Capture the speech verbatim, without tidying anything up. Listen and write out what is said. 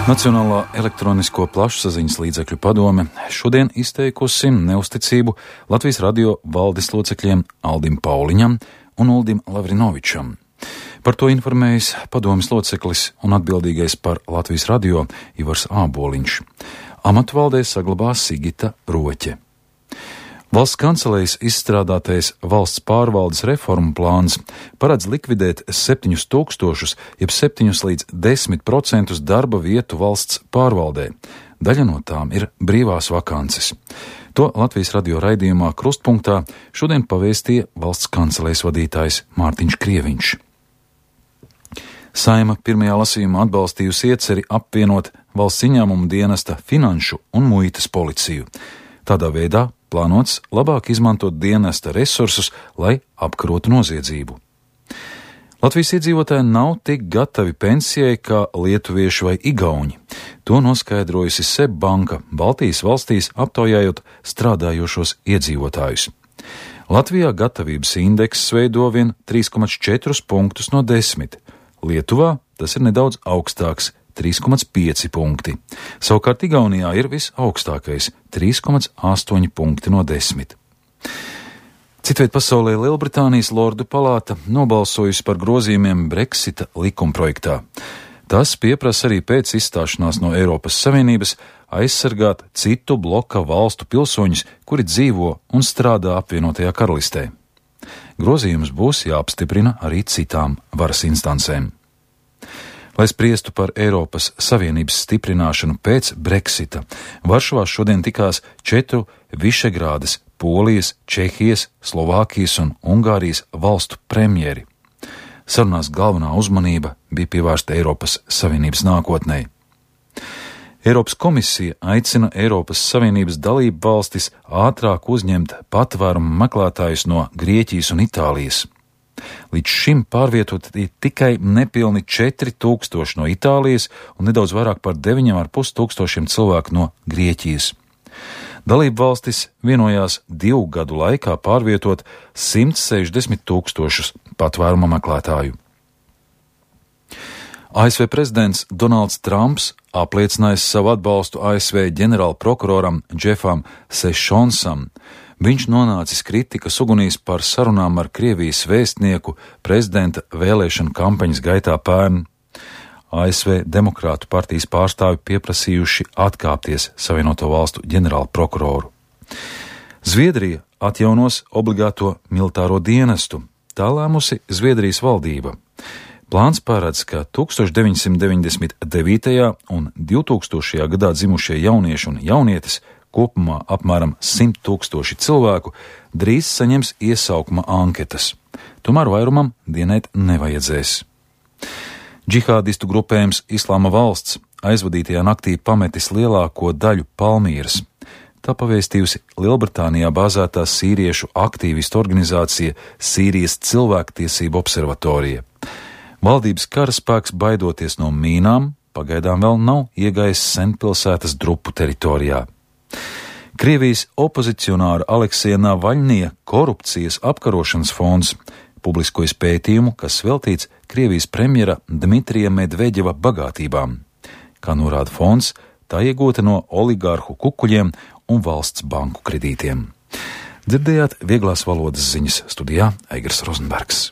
Nacionālā elektronisko plašsaziņas līdzekļu padome šodien izteikusi neusticību Latvijas radio valdes locekļiem Aldim Pauliņam un Uldim Lavrinovičam. Par to informējis padomes loceklis un atbildīgais par Latvijas radio Ivars Āboliņš. Amatu valdē saglabās Sigita Roķe. Valsts kancelējas izstrādātais valsts pārvaldes reformu plāns paredz likvidēt septiņus tūkstošus, jeb septiņus līdz desmit procentus darba vietu valsts pārvaldē. Daļa no tām ir brīvās vakances. To Latvijas radio raidījumā Krustpunktā šodien pavēstīja valsts kancelējas vadītājs Mārtiņš Krieviņš. Saeima pirmajā lasījumā atbalstījusi ieceri apvienot valsts ieņēmumu dienesta finanšu un muitas policiju. Tādā veidā plānots labāk izmantot dienesta resursus, lai apkarotu noziedzību. Latvijas iedzīvotāji nav tik gatavi pensijai kā lietuvieši vai igauņi. To noskaidrojusi SEB banka Baltijas valstīs aptaujājot strādājošos iedzīvotājus. Latvijā gatavības indeks veido vien trīs komats četri punktus no desmit. Lietuvā tas ir nedaudz augstāks – trīs komats pieci punkti. Savukārt Igaunijā ir visaugstākais – trīs komats astoņi punkti no desmit. Citviet pasaulē Lielbritānijas Lordu palāta nobalsojusi par grozījumiem Brexita likumprojektā. Tas pieprasa arī pēc izstāšanās no Eiropas Savienības aizsargāt citu bloka valstu pilsoņus, kuri dzīvo un strādā apvienotajā karalistē. Grozījums būs jāapstiprina arī citām varas instancēm. Lai spriestu par Eiropas Savienības stiprināšanu pēc Brexita, Varšavā šodien tikās četru Višegrādas, Polijas, Čehijas, Slovākijas un Ungārijas valstu premjeri. Sarunās galvenā uzmanība bija pievērsta Eiropas Savienības nākotnei. Eiropas komisija aicina Eiropas Savienības dalību valstis ātrāk uzņemt patvērumu meklētājus no Grieķijas un Itālijas. Līdz šim pārvietoti tikai nepilni četri tūkstoši no Itālijas un nedaudz vairāk par deviņiem ar pus tūkstošiem cilvēku no Grieķijas. Dalību valstis vienojās divu gadu laikā pārvietot simt sešdesmit tūkstošus patvēruma meklētāju. A S V prezidents Donalds Trumps apliecinājis savu atbalstu A S V ģenerālprokuroram Džefam Sešonsam. Viņš nonācis kritikas ugunīs par sarunām ar Krievijas vēstnieku prezidenta vēlēšanu kampaņas gaitā pērn. A S V Demokrātu partijas pārstāvi pieprasījuši atkāpties Savienoto valstu ģenerālprokuroru. Zviedrija atjaunos obligāto militāro dienestu. Tā lēmusi Zviedrijas valdība. Plāns paredz, ka deviņdesmit deviņdesmit devītajā un divtūkstošajā gadā dzimušie jaunieši un jaunietes, kopumā apmēram simt tūkstoši cilvēku, drīz saņems iesaukuma anketas. Tomēr vairumam dienēt nevajadzēs. Džihādistu grupējums Islāma valsts aizvadītajā naktī pametis lielāko daļu Palmīras. Tā pavēstījusi Lielbritānijā bāzētā sīriešu aktīvistu organizācija Sīrijas cilvēktiesību observatorija. Valdības karaspēks, baidoties no mīnām, pagaidām vēl nav iegājis senpilsētas drupu teritorijā. Krievijas opozicionāra Aleksija Navaļņija korupcijas apkarošanas fonds publiskojas pētījumu, kas veltīts Krievijas premjera Dmitrija Medveģeva bagātībām. Kā norāda fonds, tā iegūta no oligārhu kukuļiem un valsts banku kredītiem. Dzirdējāt vieglās valodas ziņas, studijā Eigars Rozenbergs.